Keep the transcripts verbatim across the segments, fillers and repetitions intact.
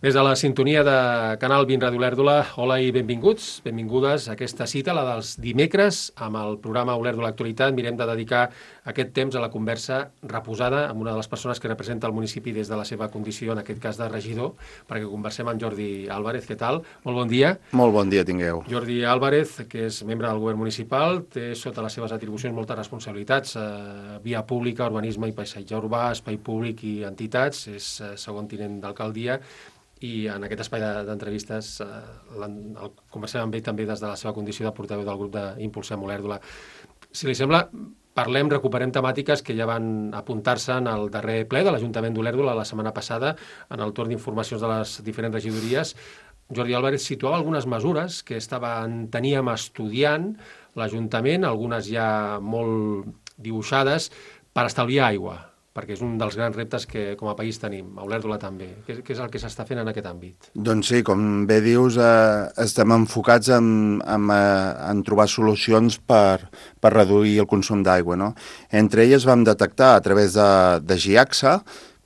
Des de la sintonia de Canal vint Ràdio Olèrdola, hola i benvinguts, benvingudes a aquesta cita, la dels dimecres, amb el programa Olèrdola Actualitat. Mirem de dedicar aquest temps a la conversa reposada amb una de les persones que representa el municipi des de la seva condició, en aquest cas de regidor, perquè conversem amb Jordi Álvarez. Què tal? Molt bon dia. Molt bon dia tingueu. Jordi Álvarez, que és membre del govern municipal, té sota les seves atribucions moltes responsabilitats, eh, via pública, urbanisme i paisatge urbà, espai públic i entitats, és eh, segon tinent d'alcaldia, i en aquest espai d'entrevistes eh, el conversem amb ell també des de la seva condició de portaveu del grup d'Impulsem Olèrdola. Si li sembla, parlem, recuperem temàtiques que ja van apuntar-se en el darrer ple de l'Ajuntament d'Olèrdola la setmana passada, en el torn d'informacions de les diferents regidories. Jordi Álvarez situava algunes mesures que estaven, teníem estudiant l'Ajuntament, algunes ja molt dibuixades, per estalviar aigua, perquè és un dels grans reptes que com a país tenim, a Olèrdola també. Què, què és el que s'està fent en aquest àmbit? Doncs sí, com bé dius, eh, estem enfocats en, en, en trobar solucions per, per reduir el consum d'aigua, no? Entre elles vam detectar a través de, de GIACSA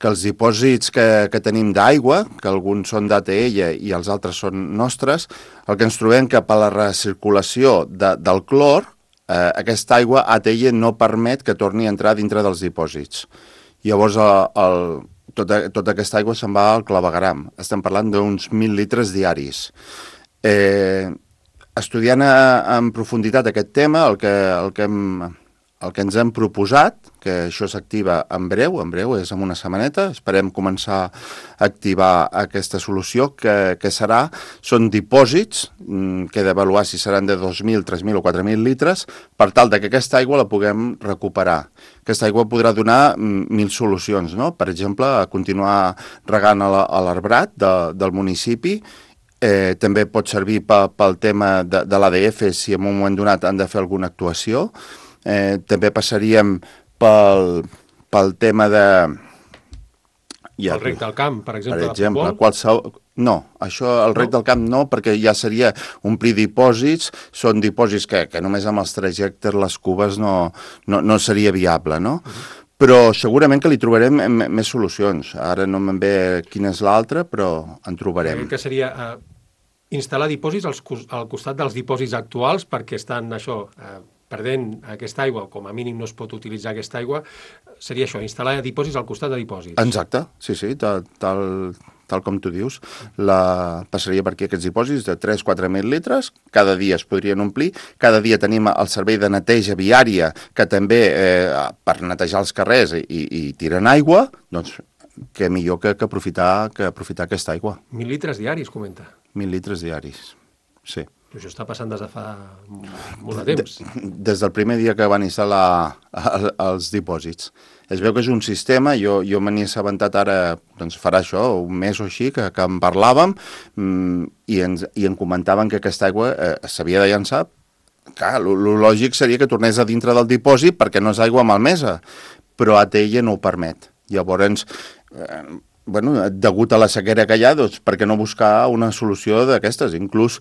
que els dipòsits que, que tenim d'aigua, que alguns són d'A T L i els altres són nostres, el que ens trobem que per la recirculació de, del clor, eh, aquesta aigua A T L no permet que torni a entrar dintre dels dipòsits. Llavors, el, el, tota, tota aquesta aigua se'n va al clavegueram. Estem parlant d'uns mil litres diaris. Eh, estudiant a, en profunditat aquest tema, el que, el, que hem, el que ens hem proposat, que això s'activa en breu, en breu, és en una setmaneta, esperem començar a activar aquesta solució, que, que serà, són dipòsits, que he d'avaluar si seran de dos mil, tres mil o quatre mil litres, per tal de que aquesta aigua la puguem recuperar. Aquesta aigua podrà donar mil solucions, no? Per exemple, continuar regant a l'arbrat de, del municipi, eh, també pot servir pel tema de, de l'A D F si en un moment donat han de fer alguna actuació, eh, també passaríem pel, pel tema de... Ja, el rec del camp, per exemple, per exemple de futbol? Qualsevol... No, això, el rec no? del camp no, perquè ja seria omplir dipòsits, són dipòsits que, que només amb els trajectes, les cubes, no, no, no seria viable, no? Uh-huh. Però segurament que li trobarem més solucions. Ara no me'n ve quina és l'altra, però en trobarem. Que seria eh, instal·lar dipòsits als, al costat dels dipòsits actuals, perquè estan, això... Eh, perdent aquesta aigua, com a mínim no es pot utilitzar aquesta aigua, seria això, instal·lar dipòsits al costat de dipòsits. Exacte, sí, sí, tal, tal, tal com tu dius. La, passaria per aquí aquests dipòsits de tres a quatre mil litres, cada dia es podrien omplir, cada dia tenim el servei de neteja viària, que també eh, per netejar els carrers i, i tiren aigua, doncs què millor que, que, aprofitar, que aprofitar aquesta aigua. Mil litres diaris, comenta. Mil litres diaris, sí. Però això està passant des de fa molt de temps. Des del primer dia que van instal·lar els dipòsits. Es veu que és un sistema, jo, jo me n'he assabentat ara, doncs farà això, un mes o així, que, que en parlàvem mmm, i, ens, i en comentaven que aquesta aigua eh, s'havia de llançar. Clar, el lògic seria que tornés a dintre del dipòsit perquè no és aigua malmesa, però A T L no ho permet. Llavors... Eh, bueno, degut a la sequera que hi ha, doncs, per què no buscar una solució d'aquestes? Inclús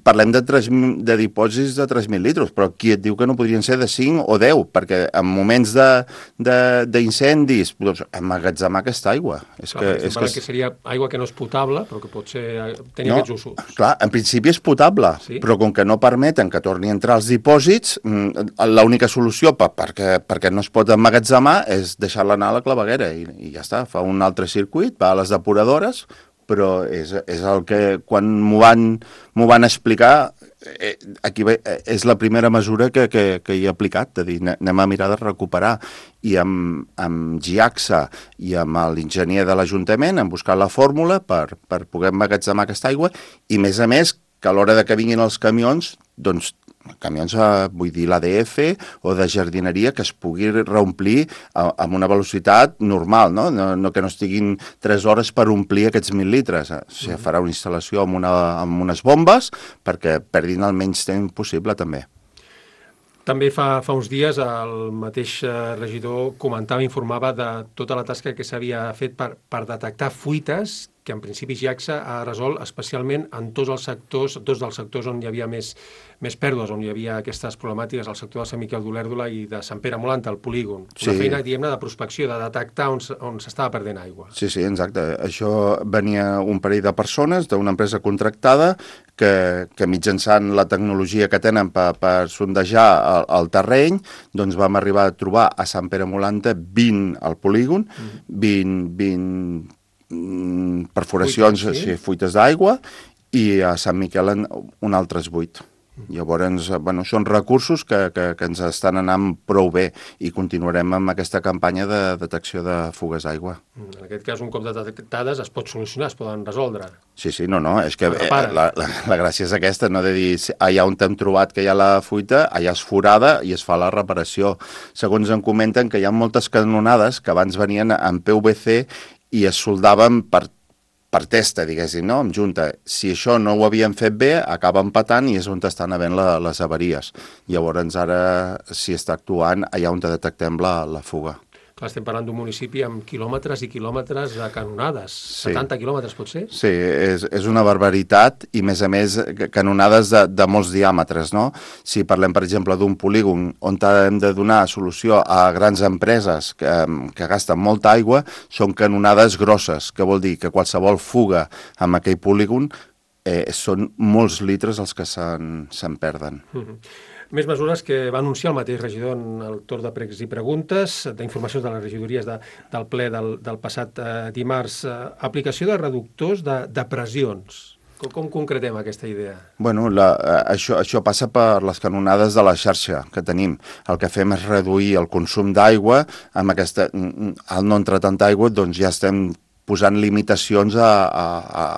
parlem de, tres, de dipòsits de tres mil litres, però qui et diu que no podrien ser de cinc o deu? Perquè en moments d'incendis, doncs, emmagatzemar aquesta aigua. És clar, que, és que, que seria aigua que no és potable, però que pot ser, tenir no, aquests usos. Clar, en principi és potable, sí? Però com que no permeten que torni a entrar als dipòsits, l'única solució per, perquè, perquè no es pot emmagatzemar és deixar-la anar a la claveguera i, i ja està, fa un altre circuit, va a les depuradores, però és, és el que quan m'ho van, m'ho van explicar, eh, aquí ve, eh, és la primera mesura que, que, que hi he aplicat, de dir, anem a mirar de recuperar, i amb, amb GIACSA i amb l'enginyer de l'Ajuntament hem buscat la fórmula per, per poder emmagatzemar aquesta aigua, i més a més que a l'hora de que vinguin els camions, doncs camions, vull dir, l'A D F o de jardineria, que es pugui reomplir amb una velocitat normal, no? No, no que no estiguin tres hores per omplir aquests mil litres. O sigui, farà una instal·lació amb, una, amb unes bombes perquè perdin el menys temps possible, també. També fa, fa uns dies el mateix regidor comentava, informava de tota la tasca que s'havia fet per, per detectar fuites que en principi JIACSA ha resolt especialment en tots els sectors, dos dels sectors on hi havia més, més pèrdues, on hi havia aquestes problemàtiques, el sector de Sant Miquel d'Olèrdola i de Sant Pere Molanta, el polígon. Una sí. feina, diguem-ne, de prospecció, de detectar on, on s'estava perdent aigua. Sí, sí, exacte. Això venia un parell de persones d'una empresa contractada que, que mitjançant la tecnologia que tenen per, per sondejar el, el terreny, doncs vam arribar a trobar a Sant Pere Molanta vint al polígon, mm. vint, vint perforacions, fuites, sí? Sí, fuites d'aigua, i a Sant Miquel un altres vuit. Llavors, bueno, són recursos que, que, que ens estan anant prou bé i continuarem amb aquesta campanya de detecció de fugues d'aigua. En aquest cas, un cop detectades es pot solucionar, es poden resoldre. Sí, sí, no, no, és que eh, la, la, la gràcia és aquesta, no de dir allà on hem trobat que hi ha la fuita, allà es forada i es fa la reparació. Segons em comenten que hi ha moltes canonades que abans venien amb P V C i es soldaven per per testa, diguéssim, no?, amb junta. Si això no ho havien fet bé, acaba empatant i és on estan havent la, les avaries. Llavors, ara, si està actuant, allà on detectem la, la fuga. Clar, estem parlant d'un municipi amb quilòmetres i quilòmetres de canonades. Sí. setanta quilòmetres, pot ser? Sí, és, és una barbaritat i, més a més, canonades de, de molts diàmetres, no? Si parlem, per exemple, d'un polígon on hem de donar solució a grans empreses que, que gasten molta aigua, són canonades grosses, que vol dir que qualsevol fuga amb aquell polígon eh, són molts litres els que se'n se'n perden. Mm-hmm. Més mesures que va anunciar el mateix regidor en el torn de pregs i preguntes, d'informacions de les regidories de, del ple del, del passat eh, dimarts. Eh, aplicació de reductors de, de pressions. Com, com concretem aquesta idea? Bueno, la, això, això passa per les canonades de la xarxa que tenim. El que fem és reduir el consum d'aigua. Amb aquesta, al no entrar tanta aigua, doncs ja estem posant limitacions a, a, a,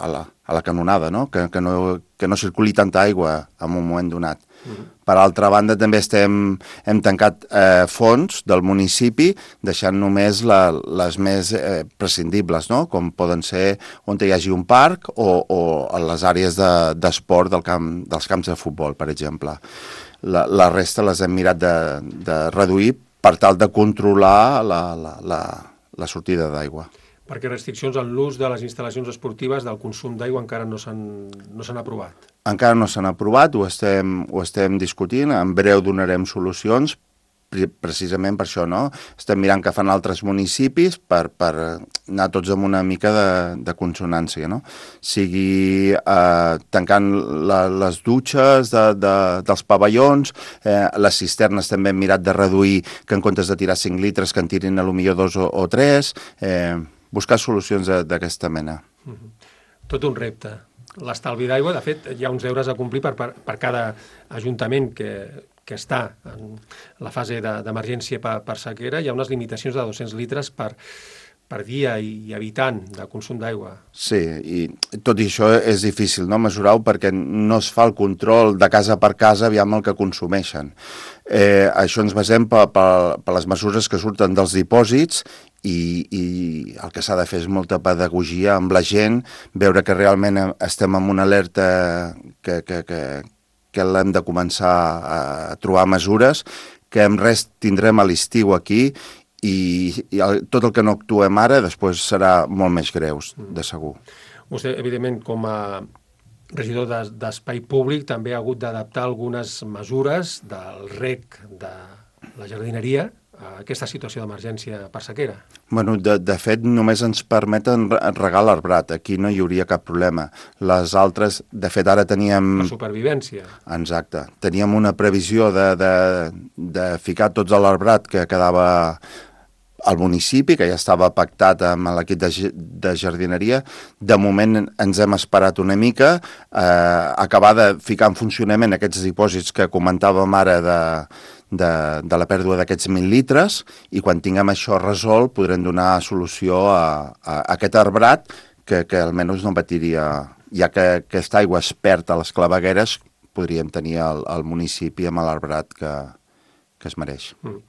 a, la, a la canonada, no? Que, que no, que no circuli tanta aigua en un moment donat. Mm-hmm. Per altra banda, també estem, hem tancat eh, fons del municipi, deixant només la, les més eh, prescindibles, no? Com poden ser on hi hagi un parc o, o les àrees d'esport de, del camp, dels camps de futbol, per exemple. La, la resta les hem mirat de, de reduir per tal de controlar la, la, la, la sortida d'aigua. Perquè restriccions en l'ús de les instal·lacions esportives del consum d'aigua encara no s'han no s'han aprovat. Encara no s'han aprovat, ho estem, ho estem discutint, en breu donarem solucions, precisament per això, no? Estem mirant què fan altres municipis per, per anar tots amb una mica de, de consonància, no? Sigui eh, tancant la, les dutxes de, de, dels pavellons, eh, les cisternes també hem mirat de reduir, que en comptes de tirar cinc litres que en tirin a lo millor dos o, o tres, eh, buscar solucions d'aquesta mena. Mm-hmm. Tot un repte. L'estalvi d'aigua, de fet, hi ha uns deures a complir per, per, per cada ajuntament que, que està en la fase d'emergència per, per sequera. Hi ha unes limitacions de dos-cents litres per, per dia i habitant de consum d'aigua. Sí, i tot i això és difícil, no?, mesurar-ho perquè no es fa el control de casa per casa aviam el que consumeixen. Eh, això ens basem per, per, per les mesures que surten dels dipòsits i, i el que s'ha de fer és molta pedagogia amb la gent, veure que realment estem en una alerta que, que, que, que l'hem de començar a trobar mesures, que en res tindrem a l'estiu aquí i, i el, tot el que no actuem ara després serà molt més greu, de segur. Vostè, evidentment, com a regidor d'Espai Públic, també ha hagut d'adaptar algunes mesures del rec de la jardineria a aquesta situació d'emergència per sequera. Bueno, de, de fet, només ens permeten regar l'arbrat. Aquí no hi hauria cap problema. Les altres, de fet, ara teníem... La supervivència. Exacte. Teníem una previsió de, de, de ficar tots a l'arbrat que quedava al municipi, que ja estava pactat amb l'equip de, de jardineria. De moment ens hem esperat una mica, eh, acabar de ficar en funcionament aquests dipòsits que comentàvem ara de, de, de la pèrdua d'aquests mil litres, i quan tinguem això resolt podrem donar solució a, a, a aquest arbrat que, que almenys no patiria, ja que aquesta aigua es perd a les clavegueres, podríem tenir el, el municipi amb l'arbrat que, que es mereix. Mm.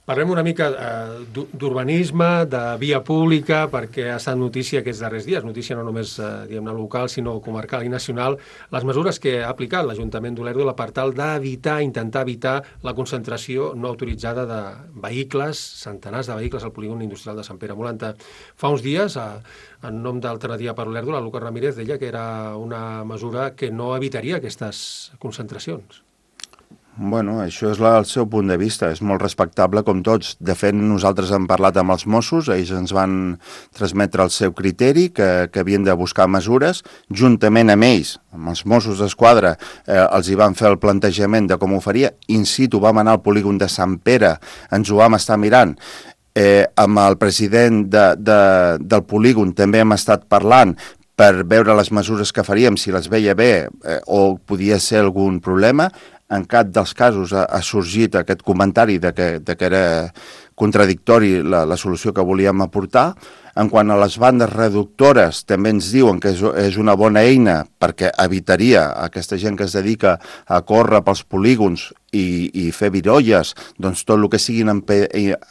Parlem una mica eh, d'urbanisme, de via pública, perquè ha estat notícia aquests darrers dies, notícia no només eh, diguem-ne local, sinó comarcal i nacional, les mesures que ha aplicat l'Ajuntament d'Olèrdola per tal d'evitar, intentar evitar la concentració no autoritzada de vehicles, centenars de vehicles al polígon industrial de Sant Pere Molanta. Fa uns dies, a, en nom d'Alternativa per Olèrdola, Lucas Ramírez deia que era una mesura que no evitaria aquestes concentracions. Bueno, això és la, el seu punt de vista, és molt respectable com tots. De fet, nosaltres hem parlat amb els Mossos, ells ens van transmetre el seu criteri, que, que havien de buscar mesures, juntament amb ells, amb els Mossos d'Esquadra, eh, els hi van fer el plantejament de com ho faria, in situ vam anar al polígon de Sant Pere, ens ho vam estar mirant, eh, amb el president de, de, del polígon també hem estat parlant, per veure les mesures que faríem, si les veia bé eh, o podia ser algun problema. En cap dels casos ha, ha sorgit aquest comentari de que, de que era contradictori la, la solució que volíem aportar. En quant a les bandes reductores, també ens diuen que és, és una bona eina perquè evitaria aquesta gent que es dedica a córrer pels polígons i, i fer virolles, doncs tot el que siguin empe,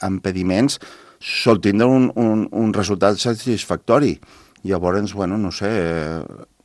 impediments sol tindre un, un, un resultat satisfactori. Llavors, bueno, no sé,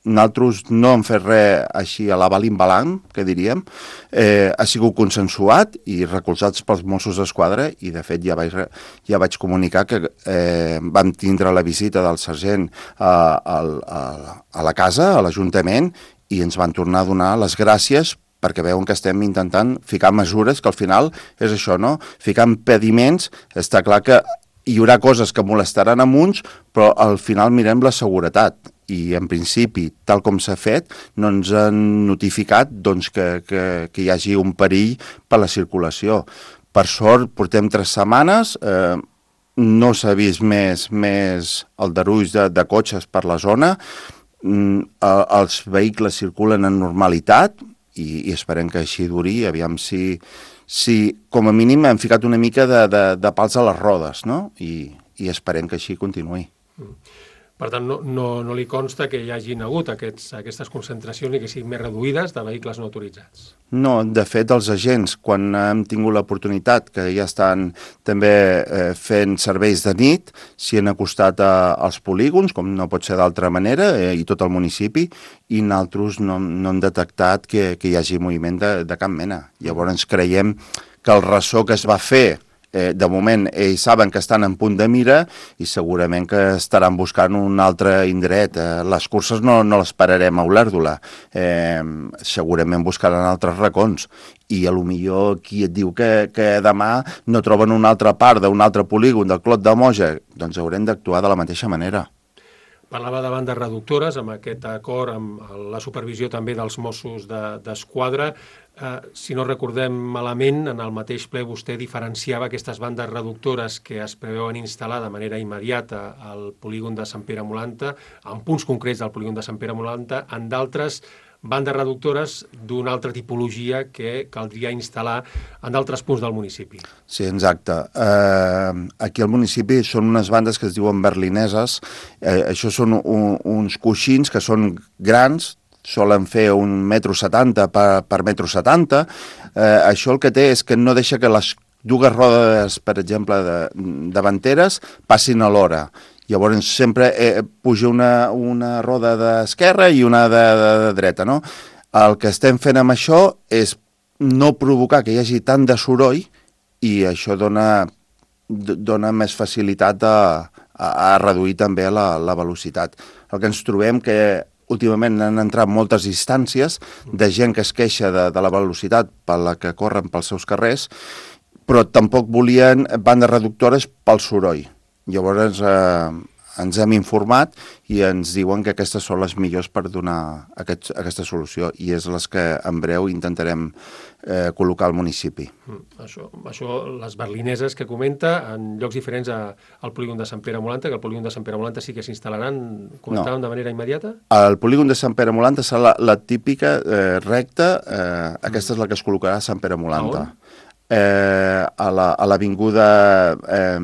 nosaltres no hem fet res així a la balimbalant, que diríem, eh, ha sigut consensuat i recolzats pels Mossos d'Esquadra i, de fet, ja vaig, ja vaig comunicar que eh, vam tindre la visita del sergent a, a, a, a la casa, a l'Ajuntament, i ens van tornar a donar les gràcies perquè veuen que estem intentant ficar mesures que al final és això, no? Ficar impediments, està clar que hi haurà coses que molestaran a uns, però al final mirem la seguretat. I, en principi, tal com s'ha fet, no ens han notificat doncs, que, que, que hi hagi un perill per la circulació. Per sort, portem tres setmanes, eh, no s'ha vist més, més aldarulls de, de cotxes per la zona, mm, els vehicles circulen en normalitat i, i esperem que així duri, aviam si... si com a mínim hem ficat una mica de, de, de pals a les rodes, no? I, i esperem que així continuï. Per tant, no, no, no li consta que hi hagin hagut aquests, aquestes concentracions i que siguin més reduïdes de vehicles no autoritzats? No, de fet, els agents, quan hem tingut l'oportunitat, que ja estan també eh, fent serveis de nit, s'hi han acostat a, als polígons, com no pot ser d'altra manera, eh, i tot el municipi, i nosaltres no, no hem detectat que, que hi hagi moviment de, de cap mena. Llavors creiem que el ressò que es va fer, Eh, de moment ells saben que estan en punt de mira i segurament que estaran buscant un altre indret. Eh, les curses no, no les pararem a Olèrdola, eh, segurament buscaran altres racons i a lo millor qui et diu que, que demà no troben una altra part d'un altre polígon del Clot de Moja, doncs haurem d'actuar de la mateixa manera. Parlava de bandes reductores, amb aquest acord, amb la supervisió també dels Mossos d'Esquadra. Eh, si no recordem malament, en el mateix ple vostè diferenciava aquestes bandes reductores que es preveuen instal·lar de manera immediata al polígon de Sant Pere Molanta, en punts concrets del polígon de Sant Pere Molanta, en d'altres bandes reductores d'una altra tipologia que caldria instal·lar en d'altres punts del municipi. Sí, exacte. Eh, aquí al municipi són unes bandes que es diuen berlineses. Eh, això són un, uns coixins que són grans, solen fer un metro setanta per, per metro setanta. Eh, això el que té és que no deixa que les dues rodes, per exemple, de, davanteres, passin alhora. Llavors sempre eh, puja una, una roda d'esquerra i una de, de, de dreta, no? El que estem fent amb això és no provocar que hi hagi tant de soroll i això dona, dona més facilitat a, a, a reduir també la, la velocitat. El que ens trobem que últimament han entrat moltes instàncies de gent que es queixa de, de la velocitat per la que corren pels seus carrers, però tampoc volien bandes reductores pel soroll. Llavors eh, ens hem informat i ens diuen que aquestes són les millors per donar aquest, aquesta solució i és les que en breu intentarem eh, col·locar al municipi. Mm, això, això, les berlineses que comenta, en llocs diferents a, al polígon de Sant Pere Molanta, que el polígon de Sant Pere Molanta sí que s'instal·laran, comentaven, no, de manera immediata? El polígon de Sant Pere Molanta serà la, la típica eh, recta, eh, aquesta mm. és la que es col·locarà a Sant Pere Molanta. Eh, a l'avinguda eh,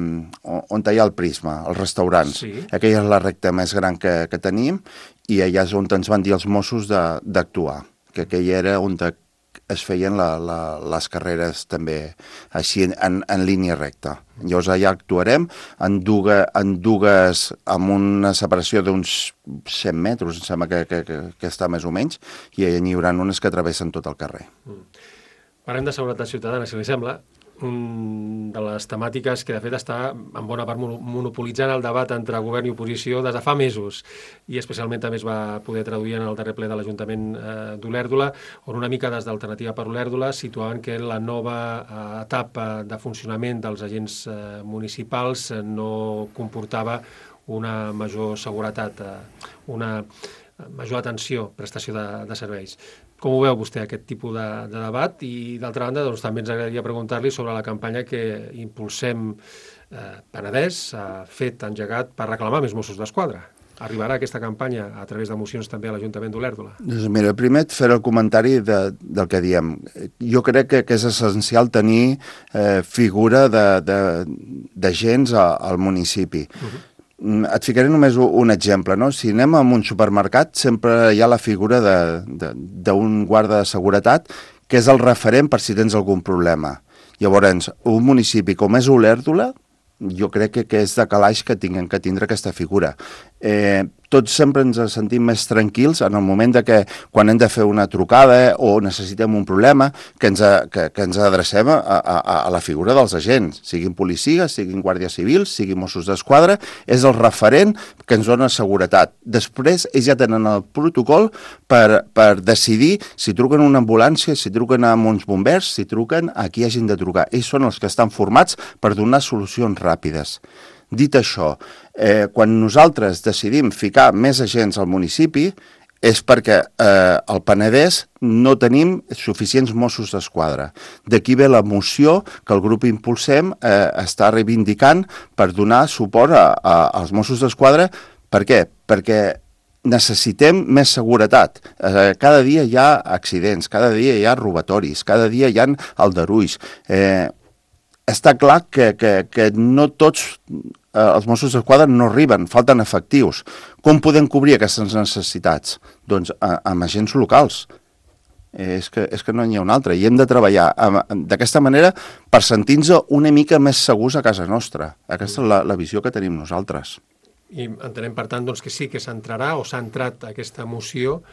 on hi ha el Prisma, els restaurants. Sí. Aquella és la recta més gran que, que tenim i allà és on ens van dir els Mossos d'actuar, que aquella era on de, es feien la, la, les carreres també així en, en, en línia recta. Llavors allà actuarem en dues, en dues amb una separació d'uns cent metres, em sembla que, que, que, que està més o menys, i n'hi haurà unes que travessen tot el carrer. Mm. Parlem de seguretat ciutadana, si li sembla. Un de les temàtiques que de fet està en bona part monopolitzant el debat entre govern i oposició des de fa mesos, i especialment també es va poder traduir en el darrer ple de l'Ajuntament eh, d'Olèrdola, on una mica des d'Alternativa per Olèrdola situaven que la nova eh, etapa de funcionament dels agents eh, municipals eh, no comportava una major seguretat, eh, una major atenció, prestació de, de serveis. Com ho veu vostè, aquest tipus de, de debat? I, d'altra banda, doncs, també ens agradaria preguntar-li sobre la campanya que Impulsem eh, Penedès ha fet, engegat, per reclamar més Mossos d'Esquadra. Arribarà aquesta campanya a través de mocions també a l'Ajuntament d'Olèrdola? Doncs mira, primer et faré el comentari de, del que diem. Jo crec que, que és essencial tenir eh, figura d'agents al municipi. Uh-huh. Et ficaré només un exemple, no? Si anem a un supermercat, sempre hi ha la figura d'un guarda de seguretat que és el referent per si tens algun problema. Llavors, un municipi com és Olèrdola, jo crec que, que és de calaix que tinguem que tindre aquesta figura. Eh, tots sempre ens sentim més tranquils en el moment de que quan hem de fer una trucada o necessitem un problema, que ens, a, que, que ens adrecem a, a, a la figura dels agents, siguin policies, siguin guàrdies civils, siguin Mossos d'Esquadra, és el referent que ens dona seguretat. Després ells ja tenen el protocol per, per decidir si truquen una ambulància, si truquen a uns bombers, si truquen a qui hagin de trucar. Ells són els que estan formats per donar solucions ràpides. Dit això, eh, quan nosaltres decidim ficar més agents al municipi és perquè eh, al Penedès no tenim suficients Mossos d'Esquadra. D'aquí ve la moció que el grup Impulsem eh, està reivindicant per donar suport a, a, als Mossos d'Esquadra. Per què? Perquè necessitem més seguretat. Eh, cada dia hi ha accidents, cada dia hi ha robatoris, cada dia hi ha aldarulls. Eh, Està clar que, que, que no tots eh, els Mossos d'Esquadra no arriben, falten efectius. Com podem cobrir aquestes necessitats? Doncs a, amb agents locals. Eh, és, que, és que no n'hi ha un altre. I hem de treballar d'aquesta manera per sentir-nos una mica més segurs a casa nostra. Aquesta és la, la visió que tenim nosaltres. I entenem, per tant, doncs, que sí que s'entrarà o s'ha entrat aquesta moció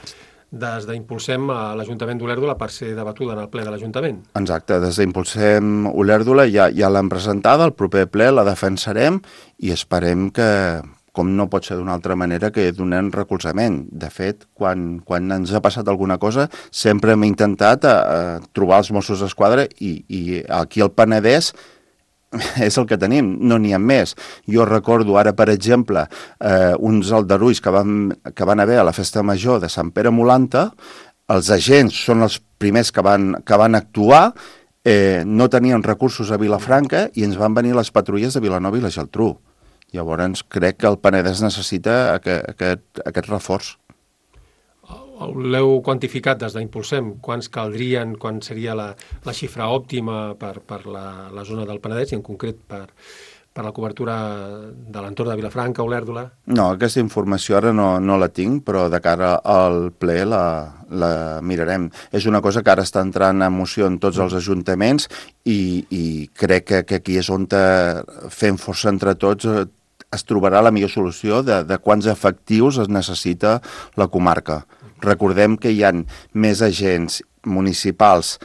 des d'Impulsem a l'Ajuntament d'Olèrdola per ser debatuda en el ple de l'Ajuntament. Exacte, des d'Impulsem Olèrdola ja, ja l'hem presentada, el proper ple la defensarem i esperem que, com no pot ser d'una altra manera, que donem recolzament. De fet, quan, quan ens ha passat alguna cosa, sempre hem intentat a, a trobar els Mossos d'Esquadra i, i aquí al Penedès és el que tenim, no n'hi ha més. Jo recordo ara, per exemple, eh, uns aldarulls que van, que van haver a la festa major de Sant Pere Molanta. Els agents són els primers que van, que van actuar, eh, no tenien recursos a Vilafranca i ens van venir les patrulles de Vilanova i la Geltrú. Llavors crec que el Penedès necessita aquest, aquest, aquest reforç. L'heu quantificat des d'Impulsem? Quants caldrien, quan seria la, la xifra òptima per, per la, la zona del Penedès i en concret per, per la cobertura de l'entorn de Vilafranca, Olèrdola? No, aquesta informació ara no, no la tinc, però de cara al ple la, la mirarem. És una cosa que ara està entrant en moció en tots els ajuntaments i, i crec que, que aquí és on fent força entre tots es trobarà la millor solució de, de quants efectius es necessita la comarca. Recordem que hi ha més agents municipals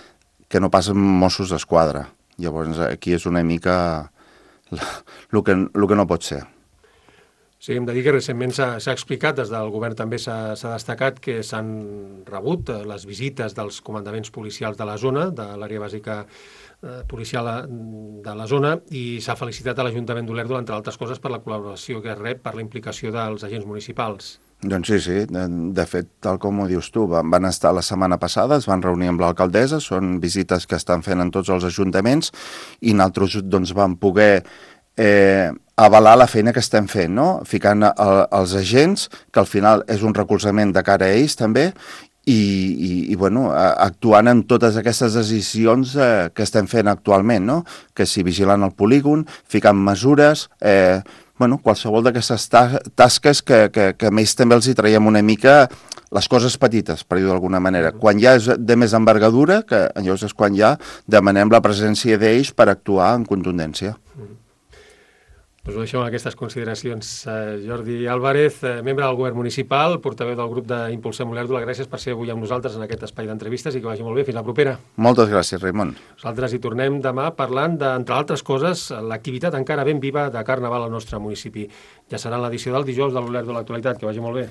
que no passen Mossos d'Esquadra. Llavors aquí és una mica el que, el que no pot ser. Sí, hem de dir que recentment s'ha explicat, des del govern també s'ha destacat que s'han rebut les visites dels comandaments policials de la zona, de l'àrea bàsica eh, policial de la zona, i s'ha felicitat a l'Ajuntament d'Olèrdola, entre altres coses, per la col·laboració que rep per la implicació dels agents municipals. Doncs sí, sí. De, de fet, tal com ho dius tu, van, van estar la setmana passada, es van reunir amb l'alcaldessa, són visites que estan fent en tots els ajuntaments i nosaltres doncs, vam poder eh, avalar la feina que estem fent, no? Ficant a, els agents, que al final és un recolzament de cara a ells també, i, i, i bueno, actuant en totes aquestes decisions eh, que estem fent actualment, no? Que si vigilant el polígon, ficant mesures, eh, bueno, qualsevol d'aquestes tasques que, que, que a ells també els hi traiem una mica les coses petites, per dir-ho d'alguna manera. Quan ja és de més envergadura, que llavors és quan ja demanem la presència d'ells per actuar en contundència. Doncs ho deixem amb aquestes consideracions. Uh, Jordi Álvarez, uh, membre del govern municipal, portaveu del grup d'Impulsem Olèrdola, gràcies per ser avui amb nosaltres en aquest espai d'entrevistes i que vagi molt bé. Fins la propera. Moltes gràcies, Raimon. Nosaltres hi tornem demà parlant d'entre altres coses, l'activitat encara ben viva de Carnaval al nostre municipi. Ja serà en l'edició del dijous de l'Olèrdola Actualitat. Que vagi molt bé.